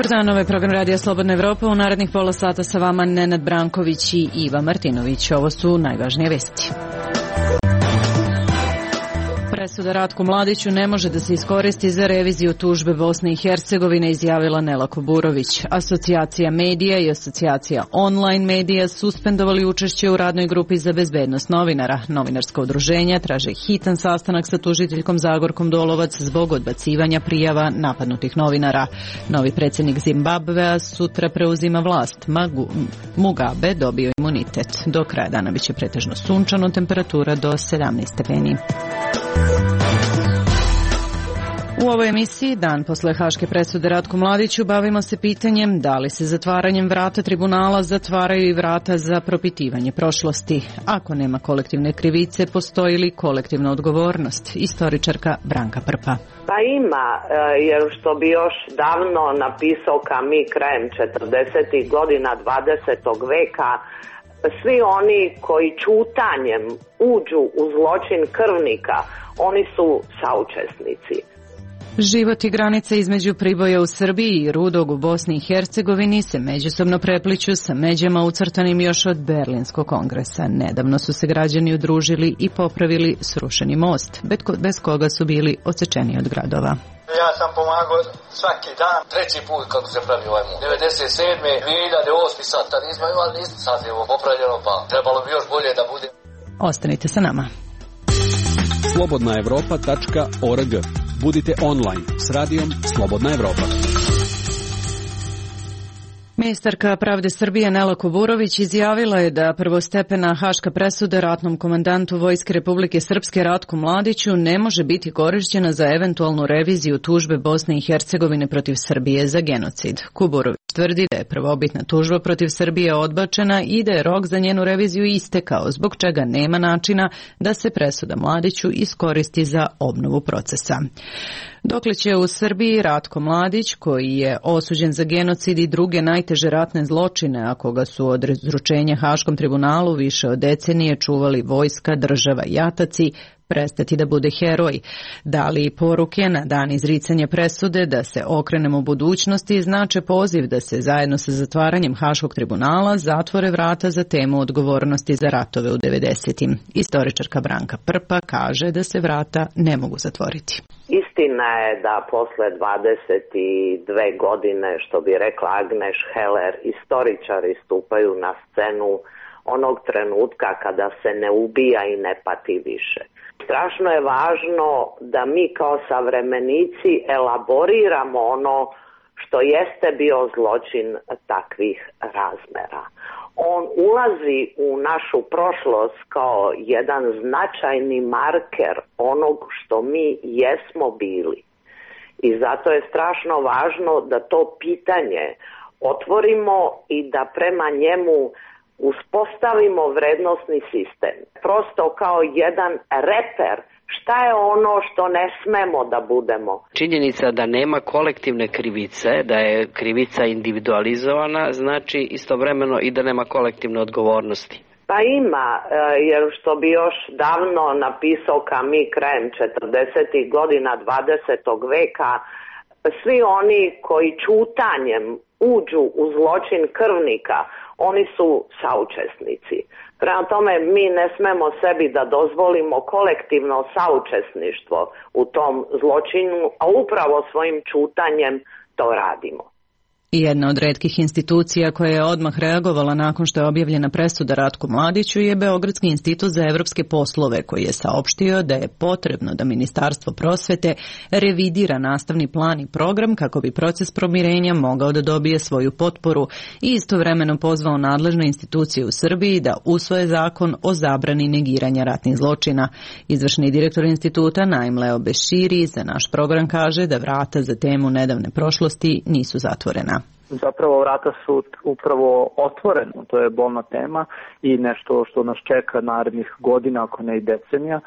Dobar dan, ovaj program Radija Slobodna Evropa. U narednih pola sata sa vama Nenad Branković i Iva Martinović. Ovo su najvažnije vesti. Presuda Ratku Mladiću ne može da se iskoristi za reviziju tužbe Bosne i Hercegovine, izjavila Nela Kuburović. Asocijacija medija i asocijacija online medija suspendovali učešće u radnoj grupi za bezbednost novinara. Novinarska udruženja traže hitan sastanak sa tužiteljkom Zagorkom Dolovac zbog odbacivanja prijava napadnutih novinara. Novi predsjednik Zimbabvea sutra preuzima vlast. Mugabe dobio imunitet. Do kraja dana biće pretežno sunčano, temperatura do 17 stepeni. U ovoj emisiji, dan posle haške presude Ratku Mladiću, bavimo se pitanjem da li se zatvaranjem vrata tribunala zatvaraju i vrata za propitivanje prošlosti. Ako nema kolektivne krivice, postoji li kolektivna odgovornost? Istoričarka Branka Prpa. Pa ima, jer što bi još davno napisao Camus krajem 40. godina 20. veka, svi oni koji ćutanjem uđu u zločin krvnika, oni su saučesnici. Život i granice između Priboja u Srbiji i Rudog u Bosni i Hercegovini se međusobno prepliću sa međama ucrtanim još od Berlinskog kongresa. Nedavno su se građani udružili i popravili srušeni most, bez koga su bili odsečeni od gradova. Ja sam pomagao svaki dan, treći put kako se pravi ovaj most. 97. 2008. sad, tad nismo imali ništa, sad je ovo popravljeno, pa trebalo bi još bolje da bude. Ostanite sa nama. slobodnaevropa.org. Budite online s radijom Slobodna Evropa. Ministarka pravde Srbije Nela Kuburović izjavila je da prvostepena haška presuda ratnom komandantu Vojske Republike Srpske Ratku Mladiću ne može biti korišćena za eventualnu reviziju tužbe Bosne i Hercegovine protiv Srbije za genocid. Kuburović tvrdi da je prvobitna tužba protiv Srbije odbačena i da je rok za njenu reviziju istekao, zbog čega nema načina da se presuda Mladiću iskoristi za obnovu procesa. Dokle će u Srbiji Ratko Mladić, koji je osuđen za genocid i druge najteže ratne zločine, a koga su od izručenja Haškom tribunalu više od decenije čuvali vojska, država i jataci, prestati da bude heroj? Da li poruke na dan izricanja presude da se okrenemo budućnosti znače poziv da se zajedno sa zatvaranjem Haškog tribunala zatvore vrata za temu odgovornosti za ratove u 90-im? Istoričarka Branka Prpa kaže da se vrata ne mogu zatvoriti. Istina je da posle 22 godine, što bi rekla Agneš Heller, istoričari stupaju na scenu onog trenutka kada se ne ubija i ne pati više. Strašno je važno da mi kao savremenici elaboriramo ono što jeste bio zločin takvih razmera. On ulazi u našu prošlost kao jedan značajni marker onog što mi jesmo bili. I zato je strašno važno da to pitanje otvorimo i da prema njemu uspostavimo vrednosni sistem. Prosto kao jedan reper šta je ono što ne smemo da budemo. Činjenica da nema kolektivne krivice, da je krivica individualizovana, znači istovremeno i da nema kolektivne odgovornosti. Pa ima, jer što bi još davno napisao Camus krajem 40. godina 20. veka, svi oni koji ćutanjem uđu u zločin krvnika, oni su saučesnici. Prema tome, mi ne smemo sebi da dozvolimo kolektivno saučesništvo u tom zločinu, a upravo svojim ćutanjem to radimo. I jedna od retkih institucija koja je odmah reagovala nakon što je objavljena presuda Ratku Mladiću je Beogradski institut za evropske poslove, koji je saopštio da je potrebno da Ministarstvo prosvete revidira nastavni plan i program kako bi proces pomirenja mogao da dobije svoju potporu i istovremeno pozvao nadležne institucije u Srbiji da usvoje zakon o zabrani negiranja ratnih zločina. Izvršni direktor instituta Naim Leo Beširi za naš program kaže da vrata za temu nedavne prošlosti nisu zatvorena. Zapravo vrata su upravo otvorena, to je bolna tema i nešto što nas čeka narednih godina, ako ne i decenija.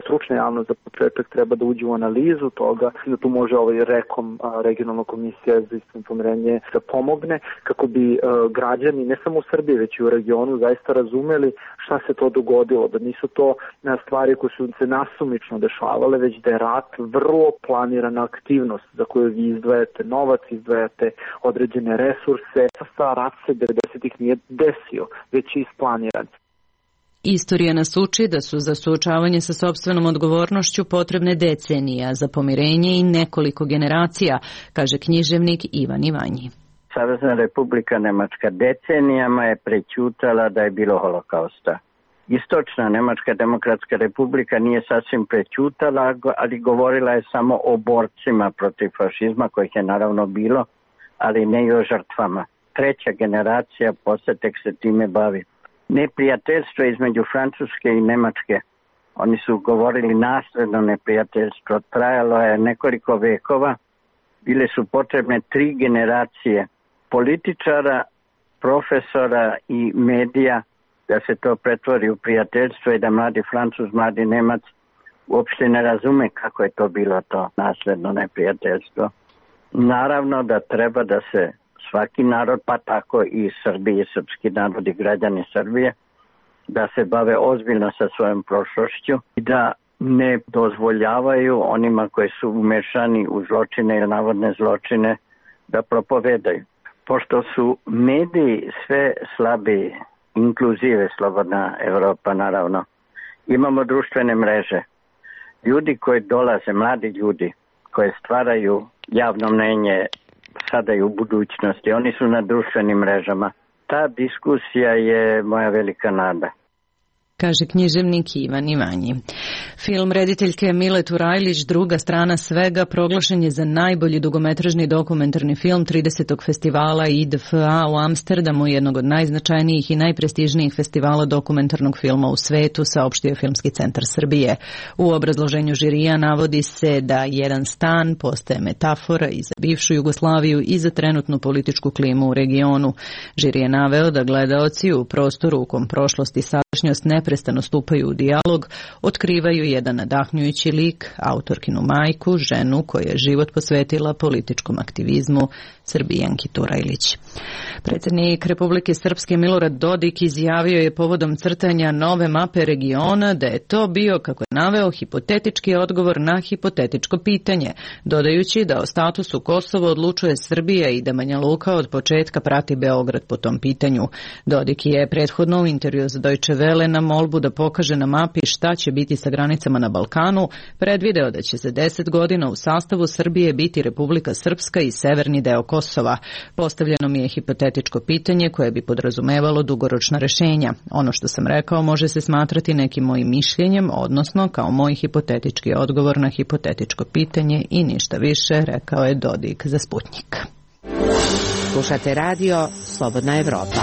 Stručna javnost za početak treba da uđe u analizu toga, da tu može REKOM, regionalna komisija za istinsko pomirenje, da pomogne kako bi građani, ne samo u Srbiji, već i u regionu, zaista razumeli šta se to dogodilo, da nisu to stvari koje su se nasumično dešavale, već da je rat vrlo planirana aktivnost za koju vi izdvajate novac, izdvajate određene resurse. Rat se 90-ih nije desio, već je isplaniran. Istorija nas uči da su za suočavanje sa sopstvenom odgovornošću potrebne decenije, za pomirenje i nekoliko generacija, kaže književnik Ivan Ivanji. Savezna Republika Nemačka decenijama je prećutala da je bilo holokausta. Istočna Nemačka demokratska republika nije sasvim prećutala, ali govorila je samo o borcima protiv fašizma, kojih je naravno bilo, ali ne i o žrtvama. Treća generacija posle tek se time bavi. Neprijateljstvo između Francuske i Nemačke, oni su govorili nasledno neprijateljstvo, trajalo je nekoliko vekova, bile su potrebne 3 generacije političara, profesora i medija da se to pretvori u prijateljstvo i da mladi Francuz, mladi Nemac uopšte ne razume kako je to bilo to nasledno neprijateljstvo. Naravno da treba da se svaki narod, pa tako i Srbi i srpski narod i građani Srbije, da se bave ozbiljno sa svojom prošlošću i da ne dozvoljavaju onima koji su umešani u zločine ili navodne zločine da propovedaju. Pošto su mediji sve slabiji, inkluzive Slobodna Evropa naravno, imamo društvene mreže. Ljudi koji dolaze, mladi ljudi koji stvaraju javno mnenje sada i u budućnosti, oni su na društvenim mrežama. Ta diskusija je moja velika nada, kaže književnik Ivan Ivanji. Film rediteljke Mile Turajlić Druga strana svega proglašen je za najbolji dugometražni dokumentarni film 30. festivala IDFA u Amsterdamu, jednog od najznačajnijih i najprestižnijih festivala dokumentarnog filma u svetu, saopštio Filmski centar Srbije. U obrazloženju žirija navodi se da jedan stan postaje metafora i za bivšu Jugoslaviju i za trenutnu političku klimu u regionu. Žiri je naveo da gledaoci u prostoru u kom prošlost i sadašnjost neprestano stupaju u dijalog, otkrivaju jedan nadahnjujući lik, autorkinu majku, ženu koja je život posvetila političkom aktivizmu, Srbijanki Turajlić. Predsjednik Republike Srpske Milorad Dodik izjavio je povodom crtanja nove mape regiona da je to bio, kako je naveo, hipotetički odgovor na hipotetičko pitanje, dodajući da o statusu Kosova odlučuje Srbija i da Banja Luka od početka prati Beograd po tom pitanju. Dodik je prethodno u intervju za Deutsche Welle na molbu da pokaže na mapi šta će biti sa granicama na Balkanu predvideo da će za 10 godina u sastavu Srbije biti Republika Srpska i severni deo Kosova. Postavljeno mi je hipotetičko pitanje koje bi podrazumevalo dugoročna rešenja. Ono što sam rekao može se smatrati nekim mojim mišljenjem, odnosno kao moj hipotetički odgovor na hipotetičko pitanje i ništa više, rekao je Dodik za Sputnjik. Slušate radio Slobodna Evropa.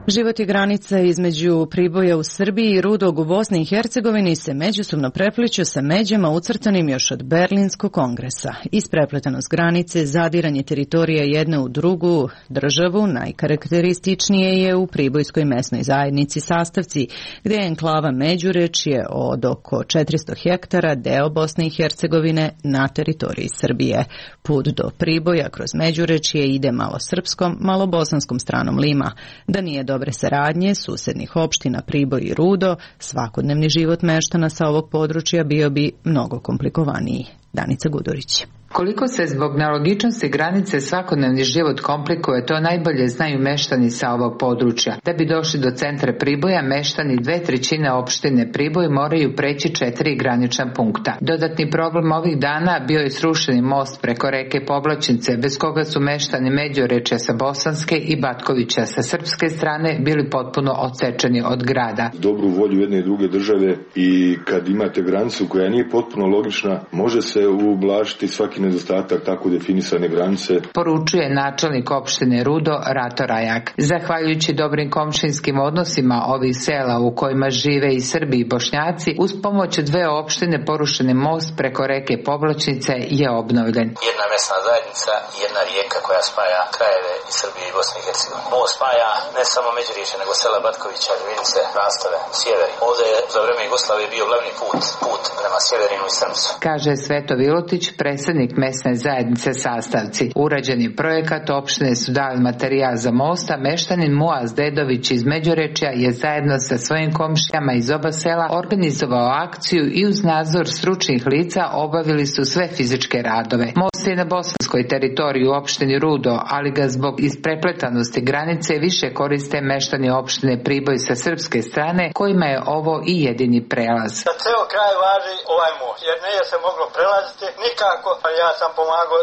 Život i granica između Priboja u Srbiji i Rudog u Bosni i Hercegovini se međusobno prepliću sa međama ucrtanim još od Berlinskog kongresa. Isprepletanost granice, zadiranje teritorija jedne u drugu državu najkarakterističnije je u Pribojskoj mesnoj zajednici Sastavci, gdje je enklava Međurečje od oko 400 hektara deo Bosne i Hercegovine na teritoriji Srbije. Put do Priboja kroz Međurečje ide malo srpskom, malo bosanskom stranom Lima. Da nije dobre saradnje susednih opština Priboj i Rudo, svakodnevni život meštana sa ovog područja bio bi mnogo komplikovaniji. Danica Gudurić. Koliko se zbog nelogičnosti granice svakodnevni život komplikuje, to najbolje znaju meštani sa ovog područja. Da bi došli do centra Priboja, meštani 2/3 opštine Priboj moraju preći 4 granična punkta. Dodatni problem ovih dana bio je srušeni most preko reke Povlačnice, bez koga su meštani Međurečja sa bosanske i Batkovića sa srpske strane bili potpuno odsečeni od grada. Dobru volju jedne i druge države i kad imate granicu koja nije potpuno logična, može se ublažiti svaki nedostatak tako definisane granice. Poručuje načelnik opštine Rudo Rato Rajak. Zahvaljujući dobrim komšinskim odnosima ovih sela u kojima žive i Srbi i Bošnjaci, uz pomoć dve opštine porušeni most preko reke Povlačnice je obnovljen. Jedna mesna zajednica i jedna rijeka koja spaja krajeve i Srbije i Bosne i Hercegovine. Most spaja ne samo Međuriječje, nego sela Batkovića, Ljubinice, Rastave, Sjeveri. Ovdje je za vreme Jugoslavije bio glavni put prema Sjeverinu i Srpcu. Kaže Sveto Vilotić, predsjednik mesne zajednice Sastavci. Urađeni projekat, opštine su dali materijal za most, a meštanin Muaz Dedović iz Međurečja je zajedno sa svojim komšijama iz oba sela organizovao akciju i uz nadzor stručnih lica obavili su sve fizičke radove. Most je na bosanskoj teritoriji u opštini Rudo, ali ga zbog isprepletanosti granice više koriste meštani opštine Priboj sa srpske strane, kojima je ovo i jedini prelaz. Za ceo kraj važi ovaj most, jer nije se moglo prelaziti nikako, a ja sam pomagao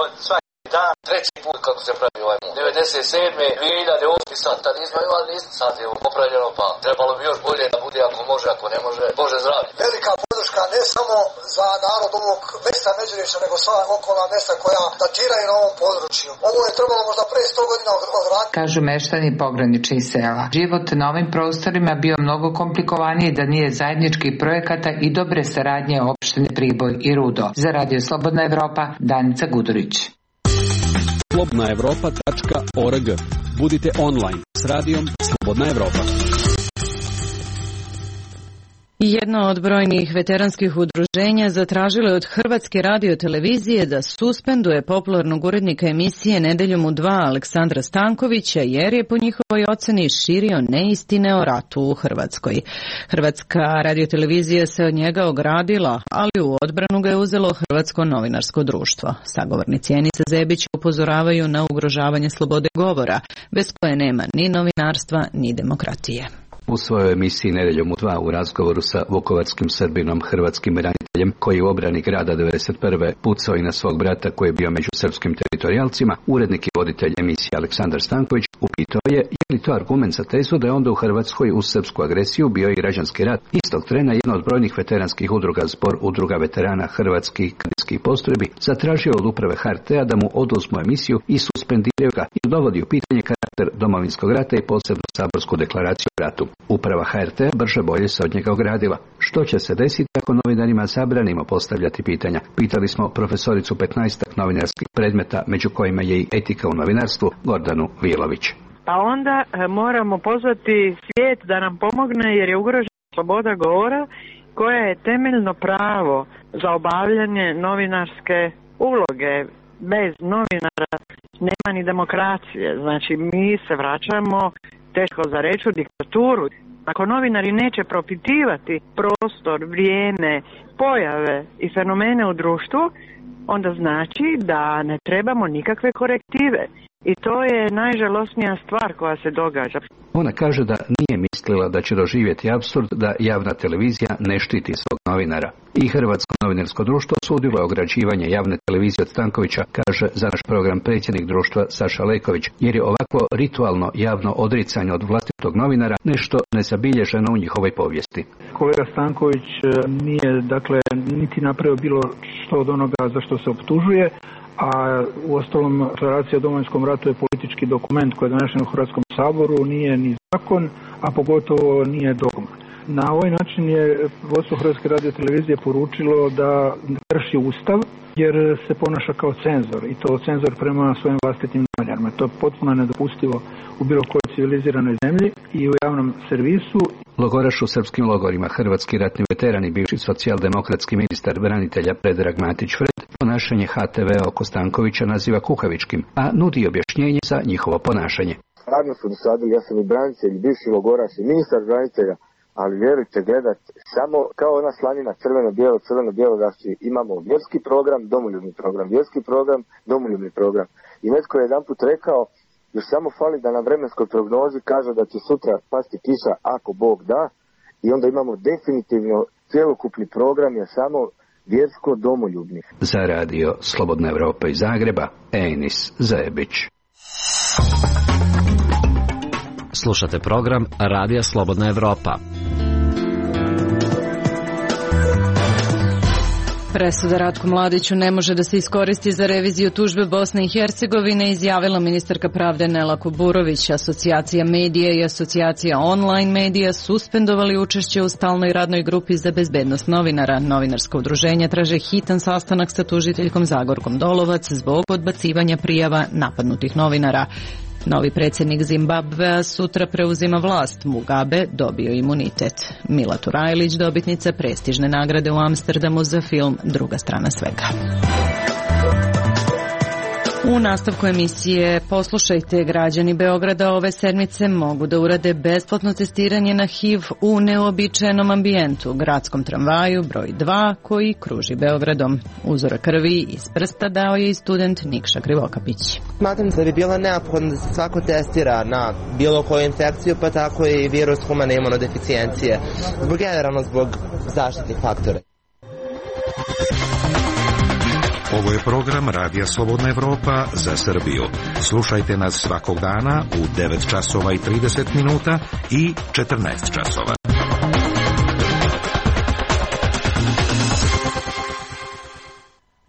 od svaki dan. Treći put kako se pravi ovaj most. 97. 2008. sad, tad nismo imali ništa, sad je popravljeno, pa trebalo bi još bolje da bude ako može, ako ne može, Bože zdravlje. Velika podrška ne samo za narod ovog mesta Međurečja, nego sva okolna mesta koja datiraju na ovom području. Ovo je trebalo možda pre 100 godina odvratiti. Kažu meštani pograničnih sela. Život na ovim prostorima bio mnogo komplikovaniji da nije zajedničkih projekata i dobre saradnje opštine Priboj i Rudo. Za Radio Slobodna Evropa, Danica Gudurić. slobodnaevropa.org. Budite online s radijom Slobodna Evropa. Jedno od brojnih veteranskih udruženja zatražilo je od Hrvatske radiotelevizije da suspenduje popularnog urednika emisije Nedeljom u 2 Aleksandra Stankovića, jer je po njihovoj oceni širio neistine o ratu u Hrvatskoj. Hrvatska radiotelevizija se od njega ogradila, ali u odbranu ga je uzelo Hrvatsko novinarsko društvo. Sagovornici Enisa Zebića upozoravaju na ugrožavanje slobode govora, bez koje nema ni novinarstva ni demokratije. U svojoj emisiji Nedeljom u 2 u razgovoru sa vukovarskim Srbinom, hrvatskim braniteljem koji je u obrani grada 1991. pucao i na svog brata koji je bio među srpskim teritorijalcima, urednik i voditelj emisije Aleksandar Stanković upitao je li to argument za tezu da je onda u Hrvatskoj uz srpsku agresiju bio i građanski rat. Istog trena jedna od brojnih veteranskih udruga, Zbor udruga veterana hrvatskih kadetskih postrojbi, zatražio od uprave HRT-a da mu oduzmu emisiju i suspendiraju ga i dovodi u pitanje karakter domovinskog rata i posebnu saborsku deklaraciju o ratu. Uprava HRT-a brže bolje se od njega ogradila. Što će se desiti ako novinarima zabranimo postavljati pitanja? Pitali smo profesoricu 15 novinarskih predmeta, među kojima je i etika u novinarstvu, Gordanu Vilović. Pa onda moramo pozvati svijet da nam pomogne, jer je ugrožena sloboda govora koja je temeljno pravo za obavljanje novinarske uloge. Bez novinara nema ni demokracije. Znači mi se vraćamo, teško za reći, u diktaturu. Ako novinari neće propitivati prostor, vrijeme, pojave i fenomene u društvu, onda znači da ne trebamo nikakve korektive. I to je najžalosnija stvar koja se događa. Ona kaže da nije mislila da će doživjeti apsurd da javna televizija ne štiti svog novinara. I Hrvatsko novinarsko društvo osudilo je ograđivanje javne televizije od Stankovića, kaže za naš program predsjednik društva Saša Leković, jer je ovako ritualno javno odricanje od vlastitog novinara nešto nezabilježeno u njihovoj povijesti. Kolega Stanković nije, dakle, niti napravio bilo što od onoga za što se optužuje, a uostalom deklaracija o Domovinskom ratu je politički dokument koji je donesen u Hrvatskom saboru, nije ni zakon, a pogotovo nije dogma. Na ovaj način je vodstvo Hrvatske radiotelevizije poručilo da krši Ustav, jer se ponaša kao cenzor, i to cenzor prema svojim vlastitim novinarima. To je potpuno nedopustivo u bilo kojoj civiliziranoj zemlji i u javnom servisu. Logoraš u srpskim logorima, hrvatski ratni veteran i bivši socijaldemokratski ministar branitelja Predrag Matić Fred ponašanje HTV oko Stankovića naziva kukavičkim, a nudi objašnjenje za njihovo ponašanje. Radno su dosadili, ja sam i branitelj, bivši logoraš i ministar branitelja, ali vjerujte, gledat samo kao ona slanina crveno-bijelo, da imamo vjerski program, domoljubni program, vjerski program, domoljubni program. I netko je jedanput rekao, još samo fali da na vremenskoj prognozi kaže da će sutra pasti kiša ako Bog da, i onda imamo definitivno cjelokupni program je samo vjersko-domoljubni. Za radio Slobodna Evropa iz Zagreba, Enis Zebić. Slušate program Radija Slobodna Evropa. Presuda Ratku Mladiću ne može da se iskoristi za reviziju tužbe Bosne i Hercegovine, izjavila ministarka pravde Nela Kuburović. Asocijacija medija i asocijacija online medija suspendovali učešće u stalnoj radnoj grupi za bezbednost novinara. Novinarska udruženja traže hitan sastanak sa tužiteljkom Zagorkom Dolovac zbog odbacivanja prijava napadnutih novinara. Novi predsjednik Zimbabvea sutra preuzima vlast. Mugabe dobio imunitet. Mila Turajlić, dobitnica prestižne nagrade u Amsterdamu za film Druga strana svega. U nastavku emisije poslušajte, građani Beograda ove sedmice mogu da urade besplatno testiranje na HIV u neobičajenom ambijentu, gradskom tramvaju broj 2 koji kruži Beogradom. Uzora krvi iz prsta dao je i student Nikša Krivokapić. Smatram da bi bilo neophodno da se svako testira na bilo koju infekciju, pa tako i virus humane imunodeficijencije, generalno zbog zaštitnih faktora. Ovo je program Radija Slobodna Evropa za Srbiju. Slušajte nas svakog dana u 9 časova i 30 minuta i 14 časova.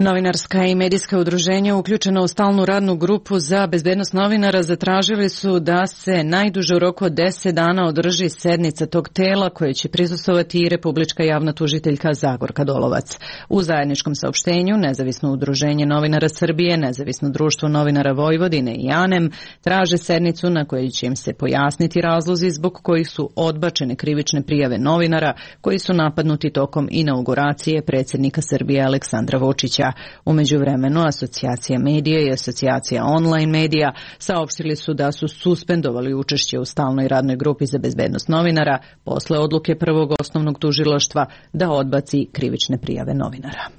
Novinarska i medijska udruženja uključena u stalnu radnu grupu za bezbednost novinara zatražili su da se najduže u roku od 10 dana održi sednica tog tela koje će prisustvovati i Republička javna tužiteljka Zagorka Dolovac. U zajedničkom saopštenju Nezavisno udruženje novinara Srbije, Nezavisno društvo novinara Vojvodine i ANEM traže sednicu na kojoj će im se pojasniti razlozi zbog kojih su odbačene krivične prijave novinara koji su napadnuti tokom inauguracije predsjednika Srbije Aleksandra Vučića. U međuvremenu Asocijacija medija i Asocijacija online medija saopštili su da su suspendovali učešće u stalnoj radnoj grupi za bezbednost novinara posle odluke prvog osnovnog tužilaštva da odbaci krivične prijave novinara.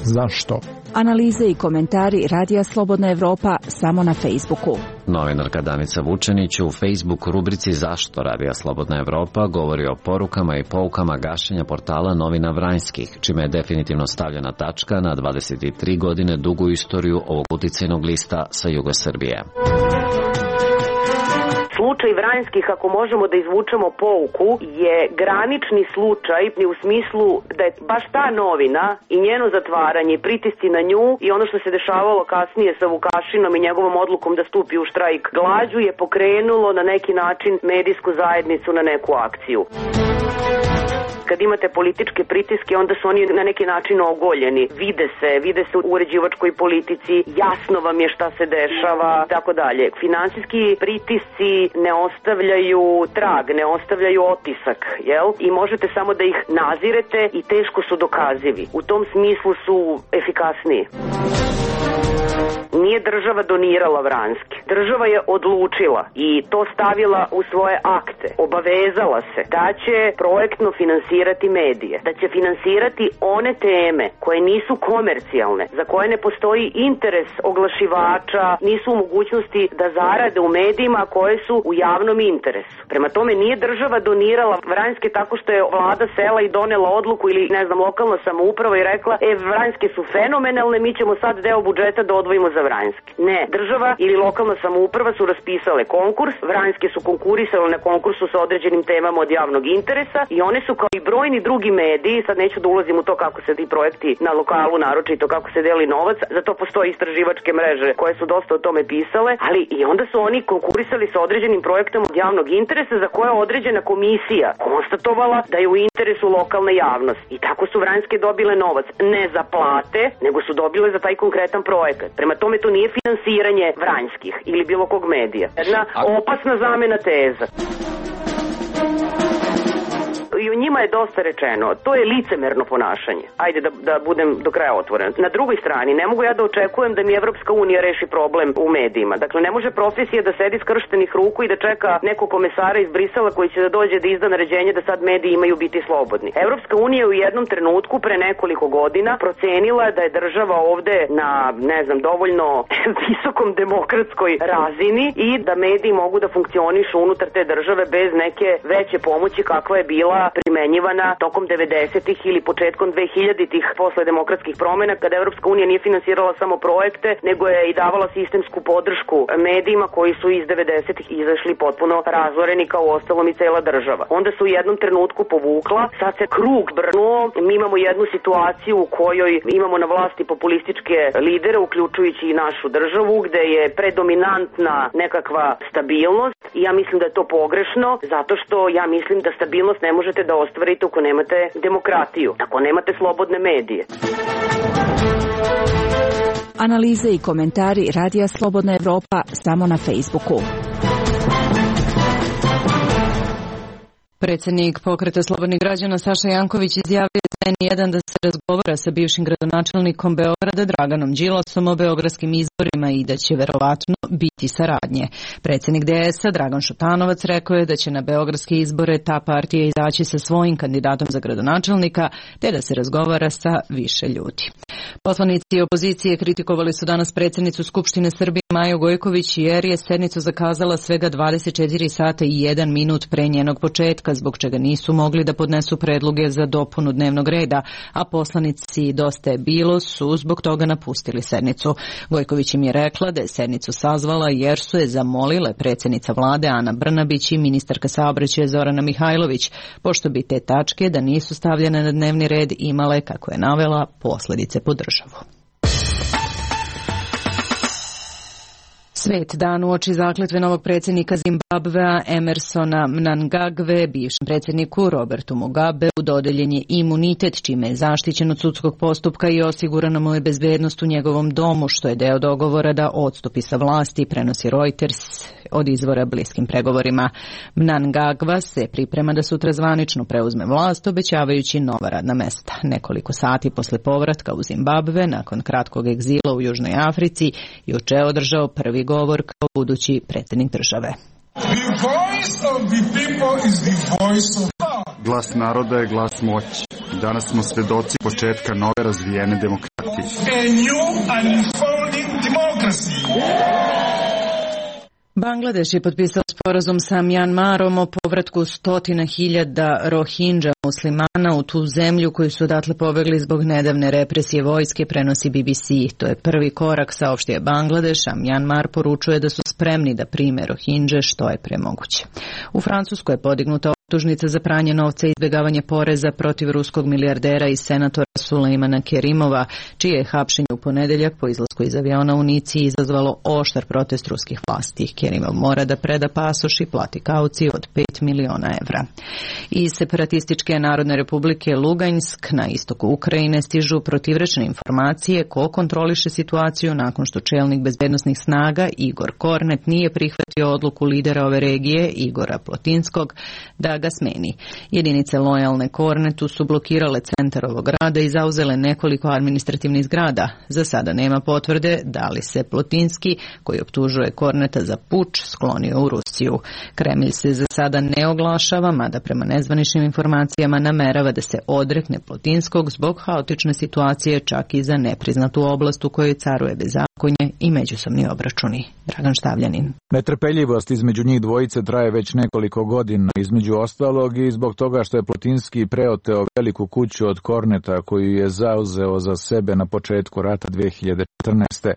Zašto? Analize i komentari Radija Slobodna Evropa samo na Facebooku. Novinarka Danica Vučenić u Facebook rubrici Zašto Radija Slobodna Evropa govori o porukama i poukama gašenja portala Novina Vranjskih, čime je definitivno stavljena tačka na 23 godine dugu istoriju ovog uticajnog lista sa juga Srbije. Slučaj Vranjskih, ako možemo da izvučemo pouku, je granični slučaj u smislu da je baš ta novina i njeno zatvaranje, pritisci na nju i ono što se dešavalo kasnije sa Vukašinom i njegovom odlukom da stupi u štrajk glađu je pokrenulo na neki način medijsku zajednicu na neku akciju. Kad imate političke pritiske, onda su oni na neki način ogoljeni. Vide se u uređivačkoj politici, jasno vam je šta se dešava, tako dalje. Finansijski pritisci ne ostavljaju trag, ne ostavljaju otisak, jel? I možete samo da ih nazirete i teško su dokazivi. U tom smislu su efikasniji. Nije država donirala Vranjski. Država je odlučila i to stavila u svoje akte. Obavezala se da će projektno finansirati medije, da će finansirati one teme koje nisu komercijalne, za koje ne postoji interes oglašivača, nisu u mogućnosti da zarade u medijima koje su u javnom interesu. Prema tome nije država donirala Vranjske tako što je vlada sela i donela odluku ili lokalna samouprava i rekla Vranjske su fenomenalne, mi ćemo sad deo budžeta da odvojimo za Vranjske. Ne, država ili lokalna samouprava su raspisale konkurs, Vranjske su konkurisale na konkursu sa određenim temama od javnog interesa i one su kao i brojni drugi mediji, sad neću da ulazim u to kako se ti projekti na lokalu naročito, kako se deli novac, za to postoje istraživačke mreže koje su dosta o tome pisale, ali i onda su oni konkurisali sa određenim projektom od javnog interesa za koje je određena komisija konstatovala da je u interesu lokalne javnosti. I tako su Vranjske dobile novac, ne za plate, nego su dobile za taj konkretan projekat. Prema tome to nije finansiranje Vranjskih ili bilo kog medija. Jedna opasna zamena teza. I o njima je dosta rečeno. To je licemerno ponašanje. Ajde da budem do kraja otvoren. Na drugoj strani, ne mogu ja da očekujem da mi Evropska unija reši problem u medijima. Dakle, ne može profesija da sedi skrštenih ruku i da čeka nekog komesara iz Brisela koji će da dođe da izda naređenje da sad mediji imaju biti slobodni. Evropska unija u jednom trenutku pre nekoliko godina procenila da je država ovde na, dovoljno visokom demokratskoj razini i da mediji mogu da funkcionišu unutar te države bez neke veće pomoći kakva je bila primenjena smenjivana tokom 90-ih ili početkom 2000-ih posle demokratskih promjena, kada Evropska unija nije finansirala samo projekte, nego je i davala sistemsku podršku medijima koji su iz 90-ih izašli potpuno razoreni kao ostalom i cela država. Onda se u jednom trenutku povukla, sad se krug brnuo, mi imamo jednu situaciju u kojoj imamo na vlasti populističke lidere, uključujući i našu državu, gde je predominantna nekakva stabilnost i ja mislim da je to pogrešno, zato što ja mislim da stabilnost ne možete da ostvarite ako nemate demokratiju, ako nemate slobodne medije. Analize i komentari Radija Slobodna Evropa samo na Facebooku. Predsjednik Pokreta slobodnih građana Saša Janković izjavio za N1 da se razgovara sa bivšim gradonačelnikom Beograda Draganom Đilasom o beogradskim izborima i da će verovatno biti saradnje. Predsjednik DS-a Dragan Šutanovac rekao je da će na beogradske izbore ta partija izaći sa svojim kandidatom za gradonačelnika, te da se razgovara sa više ljudi. Poslanici opozicije kritikovali su danas predsjednicu Skupštine Srbije Maju Gojković jer je sednicu zakazala svega 24 sata i 1 minut pre njenog početka, zbog čega nisu mogli da podnesu predloge za dopunu dnevnog reda, a poslanici Dosta je bilo su zbog toga napustili sednicu. Gojković im je rekla da je sednicu sazvala jer su je zamolile predsjednica vlade Ana Brnabić i ministarka saobraćaja Zorana Mihajlović, pošto bi te tačke da nisu stavljene na dnevni red imale, kako je navela, posljedice po državu. Svet dan uoči zakletve novog predsjednika Zimbabvea Emersona Mnangagve, bivšem predsjedniku Robertu Mugabeu dodeljen je imunitet, čime je zaštićen od sudskog postupka i osigurana mu je bezbednost u njegovom domu, što je deo dogovora da odstupi sa vlasti, prenosi Reuters od izvora bliskim pregovorima. Mnangagva se priprema da sutra zvanično preuzme vlast, obećavajući nova radna mesta. Nekoliko sati posle povratka u Zimbabve, nakon kratkog egzila u Južnoj Africi, juče je održao prvi govor kao budući predsjednik države. Glas naroda je glas moći. Danas smo svedoci početka nove razvijene demokratije. Bangladeš je potpisao sporazum sa Mjanmarom o povratku 100.000 Rohingya muslimana u tu zemlju koju su odatle pobegli zbog nedavne represije vojske, prenosi BBC. To je prvi korak, saopštio je Bangladeš, a Mjanmar poručuje da su spremni da prime Rohingye što je pre moguće. U Francuskoj je podignuta optužnica za pranje novca i izbjegavanje poreza protiv ruskog milijardera i senatora Sulejmana Kerimova, čije je hapšenje u ponedeljak po izlasku iz aviona u Nici izazvalo oštar protest ruskih vlasti. Kerimov mora da preda pasoš i plati kauciju od 5 miliona evra. Iz separatističke Narodne republike Lugansk na istoku Ukrajine stižu protivrečne informacije ko kontroliše situaciju nakon što čelnik bezbednosnih snaga Igor Kornet nije prihvatio odluku lidera ove regije Igora Plotinskog da ga smeni. Jedinice lojalne Kornetu su blokirale centar ovog grada i zauzele nekoliko administrativnih zgrada. Za sada nema potvrde da li se Plotinski, koji optužuje Korneta za puč, sklonio u Rusiju. Kremlj se za sada ne oglašava, mada prema nezvaničnim informacijama namerava da se odrekne Plotinskog zbog haotične situacije, čak i za nepriznatu oblast u kojoj caruje bezakonje i međusobni obračuni. Dragan Štavljanin. Netrpeljivost između njih dvojice traje već nekoliko godina, između ostalog i zbog toga što je Plotinski preoteo veliku kuću od Korneta koju je zauzeo za sebe na početku rata 2014.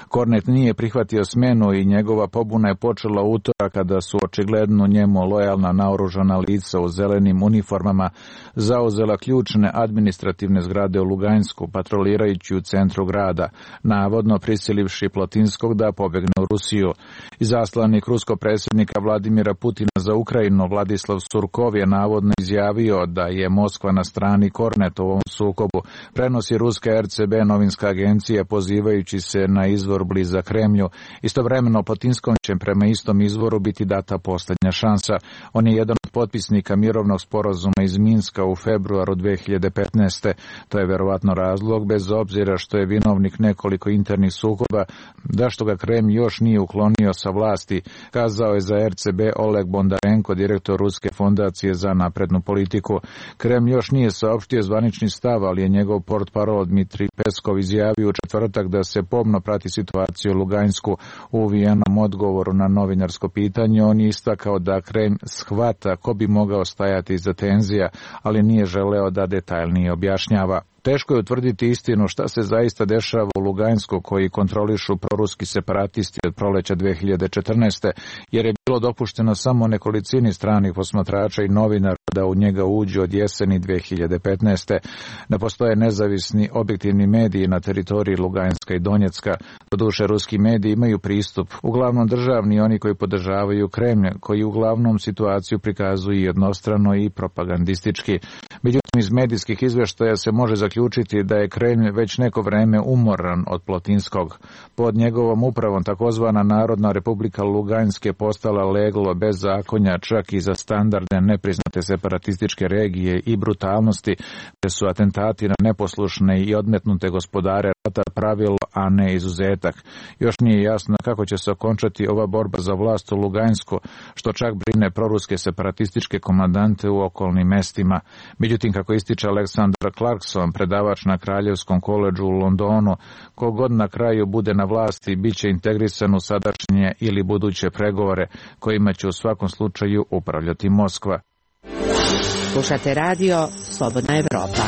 Kornet nije prihvatio smenu i njegova pobuna je počela utorak kada su očigledno njemu lojalna naoružana lica u zelenim uniformama zauzela ključne administrativne zgrade u Lugansku, patrolirajući u centru grada, navodno prisilivši Plotinskog da pobegne u Rusiju. Izaslanik ruskog predsjednika Vladimira Putina za Ukrajinu Vladislav Surkov je navodno izjavio da je Moskva na strani Korneta u ovom sukobu, prenosi ruska RCB novinska agencija pozivajući se na izvor blizak Kremlju. Istovremeno Plotinskom će prema istom izvoru biti data posljednja šansa. On je jedan od potpisnika mirovnog sporazuma iz Minska u februaru 2015. To je verovatno razlog, bez obzira što je vinovnik nekoliko internih sukoba, da što ga Kremlj još nije uklonio sa vlasti, kazao je za RCB Oleg Bondarenko, direktor Ruske fondacije za naprednu politiku. Kremlj još nije saopštio zvanični stav, ali je njegov portparol Dmitrij Peskov izjavio u četvrtak da se pomno prati situaciju u Lugansku. U uvijenom odgovoru na novinarsko pitanje on je istakao da Kremlj shvata ko bi mogao stajati iza tenzija, ali nije želeo da detaljnije objašnjava. Teško je utvrditi istinu šta se zaista dešava u Lugansku koji kontrolišu proruski separatisti od proleća 2014. jer je bilo dopušteno samo nekolicini stranih posmatrača i novinara da u njega uđu od jeseni 2015. Da postoje nezavisni objektivni mediji na teritoriji Luganska i Donjecka. Doduše, ruski mediji imaju pristup, uglavnom državni, oni koji podržavaju Kremlj, koji uglavnom situaciju prikazuju jednostrano i propagandistički. Međutim, iz medijskih izveštaja se može zaključiti da je Kremlj već neko vreme umoran od Plotinskog. Pod njegovom upravom takozvana Narodna republika Lugansk je postala leglo bez zakonja čak i za standardne nepriznate separatističke regije i brutalnosti, te su atentati na neposlušne i odmetnute gospodare rata pravilo, a ne izuzetak. Još nije jasno kako će se okončati ova borba za vlast u Lugansku, što čak brine proruske separatističke komandante u okolnim mestima. Međutim, kako ističe Aleksandar Clarkson, predavač na Kraljevskom koledžu u Londonu, kogod na kraju bude na vlasti bit će integrisan u sadašnje ili buduće pregovore, kojima će u svakom slučaju upravljati Moskva. Slušate radio Slobodna Evropa.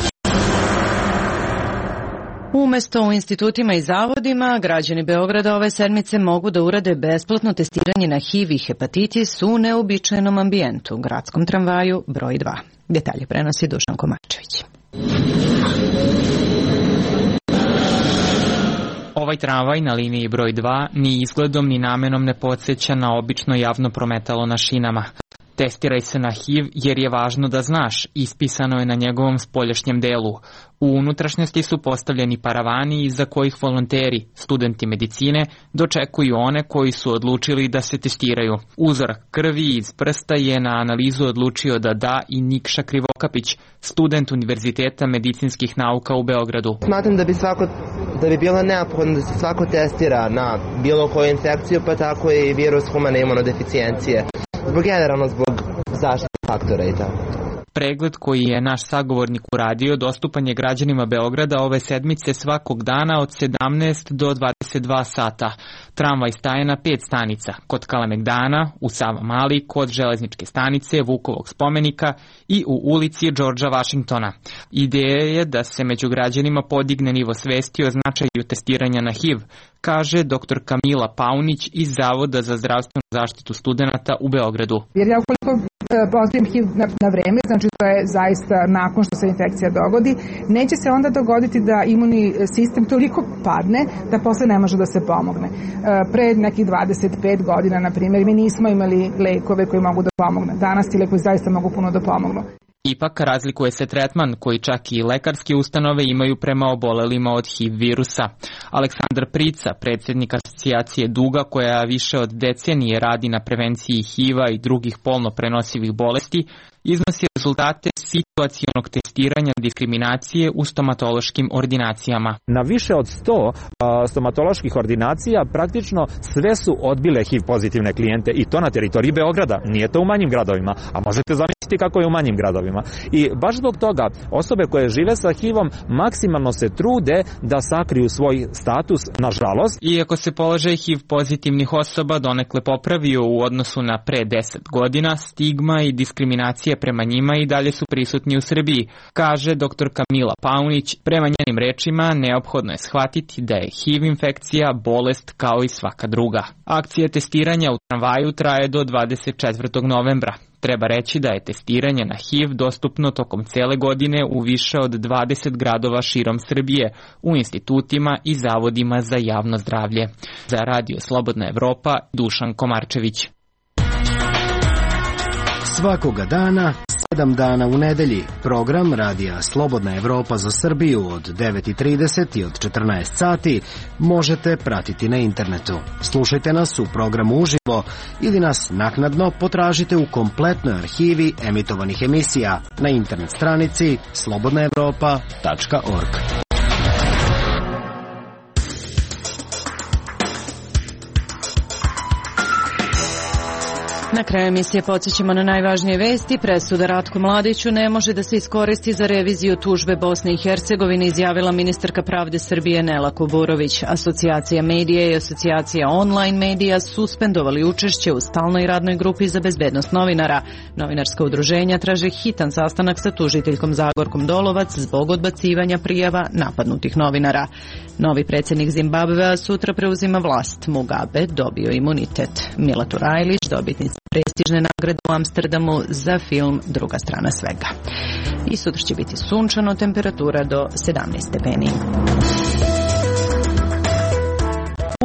Umesto u institutima i zavodima, građani Beograda ove sedmice mogu da urade besplatno testiranje na HIV i hepatitis u neobičajenom ambijentu, gradskom tramvaju broj 2. Detalje prenosi Dušan Komarčević. Ovaj tramvaj na liniji broj 2 ni izgledom ni namenom ne podsjeća na obično javno prometalo na šinama. Testiraj se na HIV jer je važno da znaš, ispisano je na njegovom spoljašnjem delu. U unutrašnjosti su postavljeni paravani iza kojih volonteri, studenti medicine, dočekuju one koji su odlučili da se testiraju. Uzorak krvi iz prsta je na analizu odlučio da da i Nikša Krivokapić, student Univerziteta medicinskih nauka u Beogradu. Smatram da bi bilo neophodno da se svako testira na bilo koju infekciju, pa tako i virus humane imunodeficijencije. Generalno zbog zaštite faktora i tako. Pregled koji je naš sagovornik uradio dostupan je građanima Beograda ove sedmice svakog dana od 17 do 22 sata. Tramvaj staje na 5 stanica, kod Kalemegdana, u Savamali, kod železničke stanice, Vukovog spomenika i u ulici Đorđa Vašingtona. Ideja je da se među građanima podigne nivo svesti o značaju testiranja na HIV, kaže dr. Kamila Paunić iz Zavoda za zdravstvenu zaštitu studenata u Beogradu. Jer ja ukoliko pozitivim HIV na vreme, znači to je zaista nakon što se infekcija dogodi, neće se onda dogoditi da imunni sistem toliko padne da posle ne može da se pomogne. Pre nekih 25 godina, na primjer, mi nismo imali lekove koji mogu da pomognu. Danas ti lekovi zaista mogu puno da pomognu. Ipak razlikuje se tretman koji čak i lekarske ustanove imaju prema obolelima od HIV virusa. Aleksandar Prica, predsjednik asocijacije Duga koja više od decenije radi na prevenciji HIV-a i drugih polno prenosivih bolesti, iznosi rezultate situacionog testiranja diskriminacije u stomatološkim ordinacijama. Na više od 100 stomatoloških ordinacija praktično sve su odbile HIV pozitivne klijente i to na teritoriji Beograda. Nije to u manjim gradovima, a možete zamisliti kako je u manjim gradovima. I baš zbog toga osobe koje žive sa HIV-om maksimalno se trude da sakriju svoj status, nažalost. Iako se položaj HIV pozitivnih osoba donekle popravio u odnosu na pre 10 godina, stigma i diskriminacija prema njima i dalje su prisutni u Srbiji, kaže dr. Kamila Paunić. Prema njenim rečima, neophodno je shvatiti da je HIV infekcija bolest kao i svaka druga. Akcija testiranja u tramvaju traje do 24. novembra. Treba reći da je testiranje na HIV dostupno tokom cele godine u više od 20 gradova širom Srbije, u institutima i zavodima za javno zdravlje. Za Radio Slobodna Evropa, Dušan Komarčević. Svakoga dana, 7 dana u nedelji, program Radija Slobodna Evropa za Srbiju od 9:30 i od 14 sati možete pratiti na internetu. Slušajte nas u programu uživo ili nas naknadno potražite u kompletnoj arhivi emitovanih emisija na internet stranici slobodnaevropa.org. Na kraju emisije podsjećamo na najvažnije vesti. Presuda Ratku Mladiću ne može da se iskoristi za reviziju tužbe Bosne i Hercegovine, izjavila ministarka pravde Srbije Nela Kuburović. Asocijacija medija i asocijacija online medija suspendovali učešće u stalnoj radnoj grupi za bezbednost novinara. Novinarska udruženja traže hitan sastanak sa tužiteljkom Zagorkom Dolovac zbog odbacivanja prijava napadnutih novinara. Novi predsjednik Zimbabvea sutra preuzima vlast. Mugabe dobio imunitet. Mila Turajlić, dobitnica prestižne nagrade u Amsterdamu za film Druga strana svega. I sutra će biti sunčano, temperatura do 17 stepeni.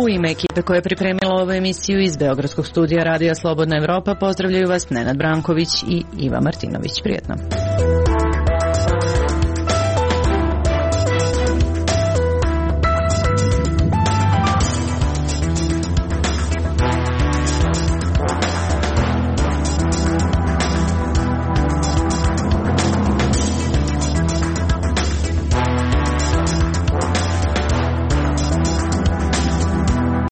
U ime ekipe koja je pripremila ovu emisiju iz Beogradskog studija Radija Slobodna Evropa pozdravljaju vas Nenad Branković i Iva Martinović. Prijetno.